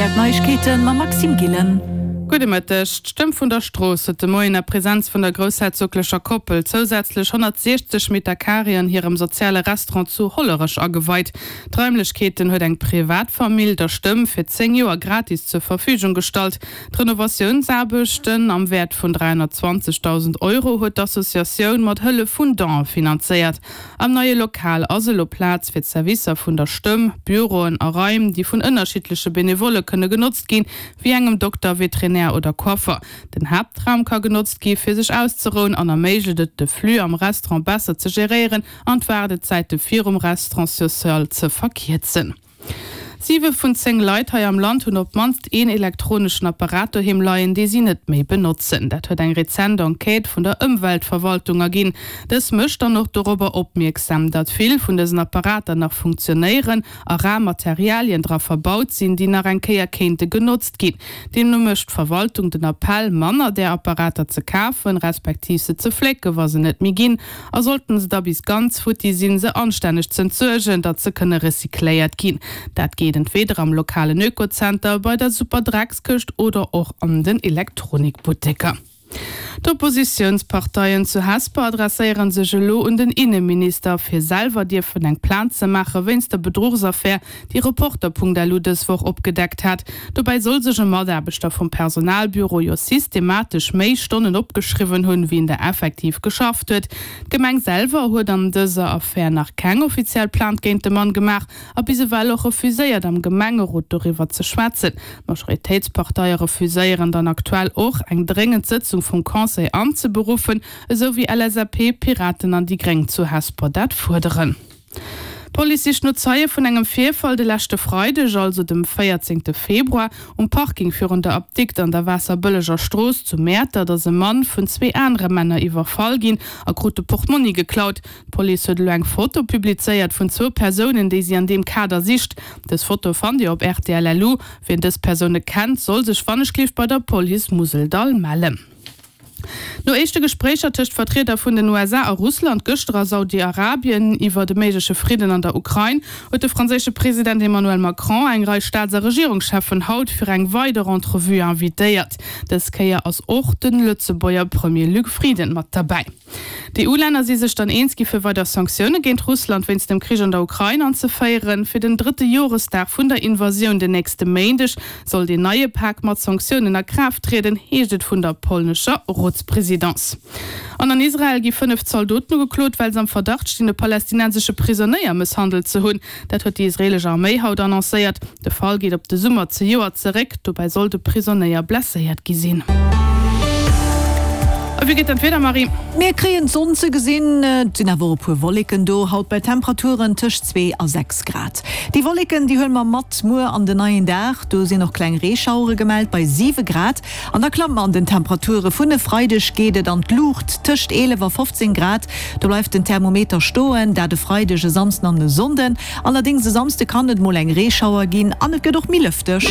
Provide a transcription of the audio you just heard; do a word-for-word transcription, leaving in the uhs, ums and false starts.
R T L Neiegkeeten mam Maxime Gillen. Gudde Mëtteg. D'Stëmm vun der Strooss huet de Moien a Presenz vun der groussherzoglecher Koppel zousätzlech honnertsiechzeg Meter Carré an hirem soziale Restaurant zu Hollerech ageweit. D'Raimlechkeeten huet eng Privatfamill der Stëmm fir zéng Joer gratis zur Verfügung gestallt. D'Renovatiounsaarbechten am Wäert vun dräihonnertzwanzegdausend Euro huet d'Associatioun mat Hëllef vun Donen finanzéiert. Am neie Lokal ass elo Plaz fir d'Servicer vun der Stëmm, Büroen a Raim, déi vun ënnerschiddleche Benevolle kënne genotzt ginn, wéi engem Dokter, Veterinär oder Coiffer. Den Haaptraum ka genotzt gi fir sech auszerouen an erméiglecht et, de Flux am Restaurant besser ze geréieren an d'Waardezäite virum Restaurant social ze verkierzen. Siwe vun zéng Leit hei am Land hunn op d'mannst een elektroneschen Apparat doheem leien, dee si net méi benotzen. Dat huet eng rezent Enquête vun der Ëmweltverwaltung erginn. Dës mécht dann och dorobber opmierksam, datt vill vun dësen Apparater nach funktionéieren a rar Materialien dra verbaut sinn, déi nach eng Kéier kéinte genotzt ginn. Deemno mécht d'Verwaltung den Appell, manner där Apparater ze kafen, respektiv se ze flécken, wa se net méi ginn. A sollten se da bis ganz futti sinn, se anstänneg z'entsuergen, datt se kënne recycléiert ginn. Dat geet entweder am lokalen Ökozenter, bei der Superdreckskëscht oder och an den Elektronikbutteker. D'Oppositiounsparteien zu Hesper adresséiere sech elo un den Inneminister, fir selwer dierfen eng Plainte ze maache wéinst der Bedruchsaffär, déi Reporter.lu dës Woch opgedeckt hat. Dobäi soll sech e Mataarbechter vum Personalbüro jo systematesch méi Stonnen opgeschriwwen hunn, wéi en der effektiv geschafft huet. D'Gemeng selwer huet an dëser Affär nach keng offiziell Plainte géint de Mann gemaach a bis ewell och refuséiert, am Gemengerot doriwwer ze schwätzen. D'Majoritéitsparteie refuséieren dann aktuell och, eng dréngend Sëtzung vum Conseil anzeberuffen, esou wéi L S A P, Piraten an déi Gréng zu Hesper dat fuerderen. D'Police sicht no Zeie vun engem Virfall de leschte Freideg, also dem véierzéngte Februar, um Parking virun der Apdikt an der Waasserbëlleger Strooss zu Mäertert ass e Mann vun zwee anere Männer iwwerfall ginn a krut de Portmonni geklaut. D'Police huet elo eng Foto publizéiert vun zwou Persounen, déi si an deem Kader sicht. Dës Foto fannt Dir op rtl. Lu. Wien dës Persoune kennt, soll sech wannechgelift bei der Police Museldall mellen. No éischte Gespréicher tëscht Vertrieder vun den U S A a Russland gëschter a Saudi-Arabien iwwer de méigleche Fridden an der Ukrain, huet de franséische President Emmanuel Macron eng Rei Staats a Regierungscheffen haut fir eng weider Entrevue invitéiert. Dës Kéier ass och de Lëtzebuerger Premier Luc Frieden mat derbäi. D'E U-Länner si sech dann eens gi fir weider Sanktioune géint Russland wéinst dem Krich an der Ukrain anzeféieren. Fir den drëtte Joresdag vun der Invasioun den nächste Méindeg soll deen neie Pak mat Sanktiounen a Kraaft trieden, heescht et vun der polnescher Rotspresidence. An an Israel gi fënnef Zaldoten ugeklot, well se am Verdacht stinn, e palästinensesche Prisonéier mësshandelt ze hunn. Dat huet déi israeelesch Arméi haut annoncéiert. De Fall geet op de Summer zejoert zeréck. Dobäi soll de Prisonéier blesséiert gi sinn. A wéi geet dann d'Wieder, Marie? Mir kréien d'Sonn ze gesinn, et sinn awer och e puer Wolleken do, haut bei Temperaturen tëscht zwee a sechs Grad. Déi Wolleken, déi huele mer mat muer an den neien Dag, do sinn och kleng Reeschauere gemellt bei siwe Grad. An da klamme mer an den Temperature, vun e Freideg geet et an d'Luucht, tëscht eelef a fofzéng Grad, do bleift den Thermometer stoen, dat e Freideg, e Samsden an e Sonnden. Allerdéngs e Samsde kann et mol eng Reeschauer ginn an et gëtt och méi lëfteg.